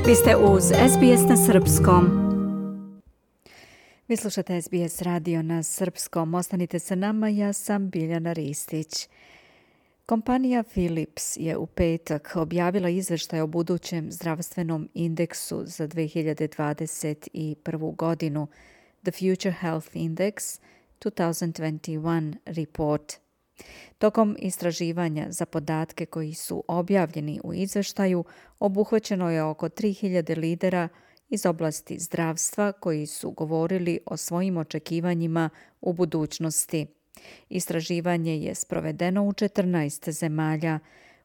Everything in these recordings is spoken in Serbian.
Vi ste uz SBS na srpskom. Vi slušate SBS radio na srpskom. Ostanite sa nama, ja sam Biljana Ristić. Kompanija Philips je u petak objavila izveštaj o budućem zdravstvenom indeksu za 2021. godinu, The Future Health Index 2021 Report. Tokom istraživanja za podatke koji su objavljeni u izveštaju, obuhvaćeno je oko 3000 lidera iz oblasti zdravstva koji su govorili o svojim očekivanjima u budućnosti. Istraživanje je sprovedeno u 14 zemalja,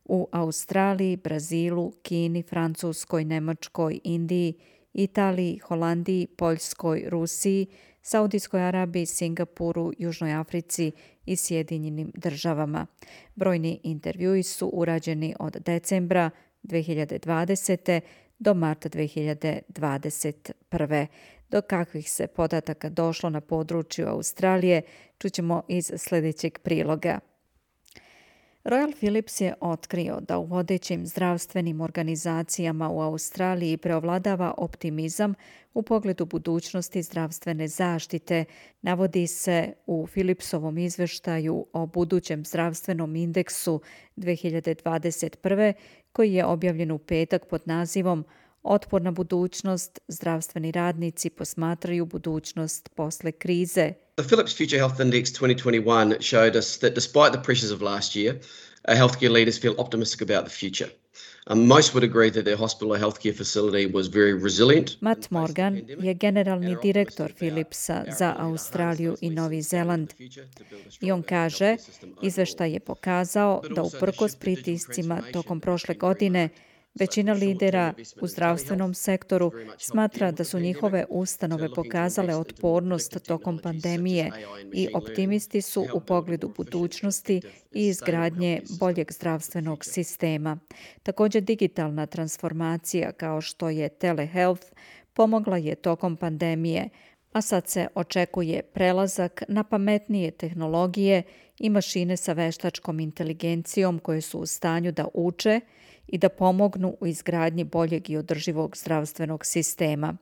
u Australiji, Brazilu, Kini, Francuskoj, Nemačkoj, Indiji, Italiji, Holandiji, Poljskoj, Rusiji, Saudijskoj Arabiji, Singapuru, Južnoj Africi i Sjedinjenim državama. Brojni intervjui su urađeni od decembra 2020. do marta 2021. Do kakvih se podataka došlo na području Australije, čućemo iz sljedećeg priloga. Royal Philips je otkrio da u vodećim zdravstvenim organizacijama u Australiji preovladava optimizam u pogledu budućnosti zdravstvene zaštite, navodi se u Philipsovom izveštaju o budućem zdravstvenom indeksu 2021. koji je objavljen u petak pod nazivom Otporna budućnost, zdravstveni radnici posmatraju budućnost posle krize. The Philips Future Health Index 2021 showed us that despite the pressures of last year, healthcare leaders feel optimistic about the future. Most would agree that their hospital or healthcare facility was very resilient. Matt Morgan je generalni direktor Philipsa za Australiju i Novi Zeland. I on kaže, izveštaj je pokazao da uprkos pritiscima tokom prošle godine, većina lidera u zdravstvenom sektoru smatra da su njihove ustanove pokazale otpornost tokom pandemije i optimisti su u pogledu budućnosti i izgradnje boljeg zdravstvenog sistema. Također digitalna transformacija kao što je telehealth pomogla je tokom pandemije, a sad se očekuje prelazak na pametnije tehnologije i mašine sa veštačkom inteligencijom koje su u stanju da uče i da pomognu u izgradnji boljeg i održivog zdravstvenog sistema.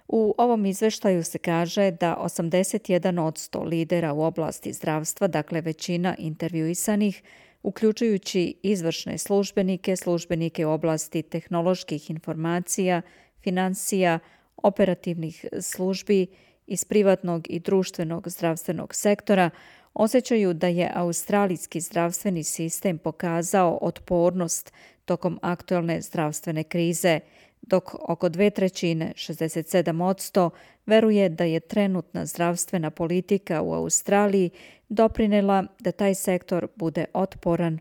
U ovom izveštaju se kaže da 81% lidera u oblasti zdravstva, dakle većina intervjuisanih, uključujući izvršne službenike, službenike u oblasti tehnoloških informacija, financija, operativnih službi iz privatnog i društvenog zdravstvenog sektora, osjećaju da je australijski zdravstveni sistem pokazao otpornost tokom aktualne zdravstvene krize, dok oko 2/3, 67%, veruje da je trenutna zdravstvena politika u Australiji doprinela da taj sektor bude otporan.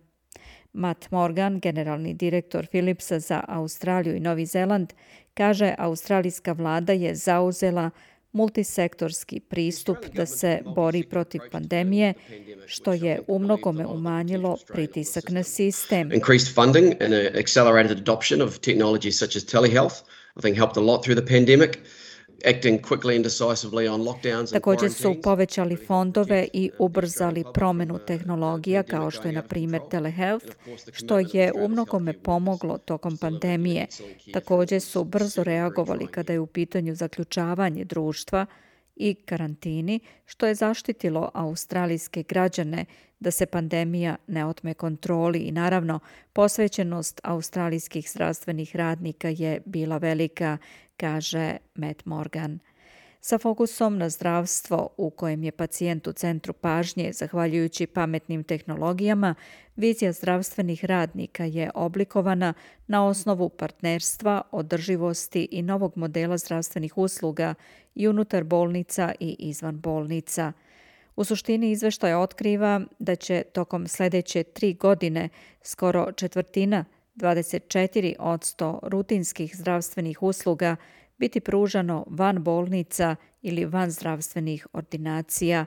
Matt Morgan, generalni direktor Philipsa za Australiju i Novi Zeland, kaže australijska vlada je zauzela multisektorski pristup da se bori protiv pandemije, što je umnogome umanjilo pritisak na sistem. Increased funding and accelerated adoption of technologies such as telehealth, I think helped a lot through the pandemic. Acting quickly and decisively on lockdowns and također su povećali fondove i ubrzali promjenu tehnologija kao što je na primjer telehealth, što je umnogome pomoglo tokom pandemije. Također su brzo reagovali kada je u pitanju zaključavanje društva i karantini, što je zaštitilo australijske građane da se pandemija ne otme kontroli i naravno posvećenost australijskih zdravstvenih radnika je bila velika, kaže Matt Morgan. Sa fokusom na zdravstvo u kojem je pacijent u centru pažnje, zahvaljujući pametnim tehnologijama, vizija zdravstvenih radnika je oblikovana na osnovu partnerstva, održivosti i novog modela zdravstvenih usluga i unutar bolnica i izvan bolnica. U suštini izveštaj otkriva da će tokom sljedeće 3 godine skoro četvrtina, 24% rutinskih zdravstvenih usluga biti pružano van bolnica ili van zdravstvenih ordinacija.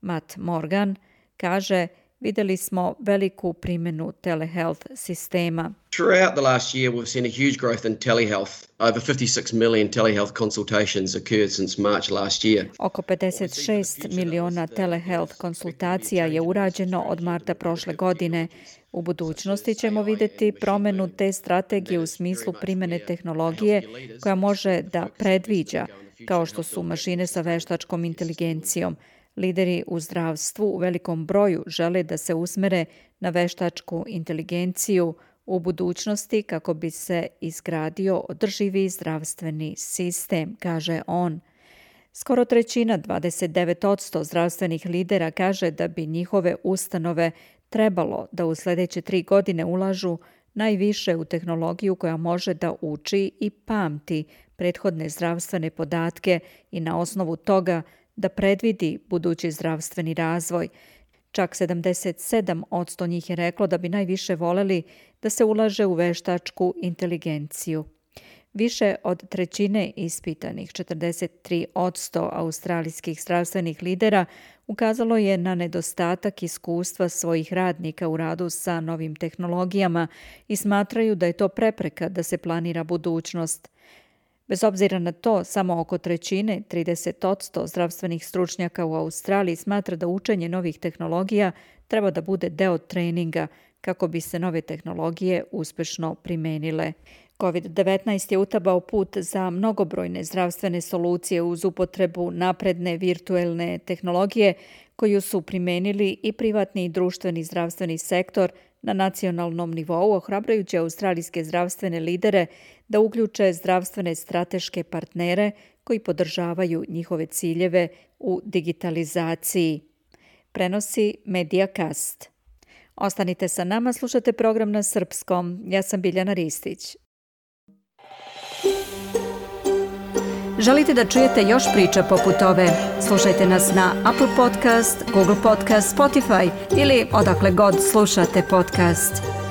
Matt Morgan kaže, vidjeli smo veliku primjenu telehealth sistema. Throughout the last year, we've seen a huge growth in telehealth. Over 56 million telehealth consultations occurred since March last year. Oko 56 miliona telehealth konsultacija je urađeno od marta prošle godine. U budućnosti ćemo vidjeti promjenu te strategije u smislu primjene tehnologije koja može da predviđa, kao što su mašine sa veštačkom inteligencijom. Lideri u zdravstvu u velikom broju žele da se usmere na veštačku inteligenciju u budućnosti kako bi se izgradio održivi zdravstveni sistem, kaže on. Skoro trećina, 29% zdravstvenih lidera kaže da bi njihove ustanove trebalo da u sljedeće 3 godine ulažu najviše u tehnologiju koja može da uči i pamti prethodne zdravstvene podatke i na osnovu toga da predvidi budući zdravstveni razvoj. Čak 77% njih je reklo da bi najviše voleli da se ulaže u veštačku inteligenciju. Više od trećine ispitanih, 43% australijskih zdravstvenih lidera, ukazalo je na nedostatak iskustva svojih radnika u radu sa novim tehnologijama i smatraju da je to prepreka da se planira budućnost. Bez obzira na to, samo oko trećine, 30% zdravstvenih stručnjaka u Australiji smatra da učenje novih tehnologija treba da bude deo treninga kako bi se nove tehnologije uspešno primenile. COVID-19 je utabao put za mnogobrojne zdravstvene solucije uz upotrebu napredne virtuelne tehnologije koju su primenili i privatni i društveni zdravstveni sektor na nacionalnom nivou, ohrabrajući australijske zdravstvene lidere da uključe zdravstvene strateške partnere koji podržavaju njihove ciljeve u digitalizaciji. Prenosi Mediacast. Ostanite sa nama, slušate program na srpskom. Ja sam Biljana Ristić. Želite da čujete još priča poput ove? Slušajte nas na Apple Podcast, Google Podcast, Spotify ili odakle god slušate podcast.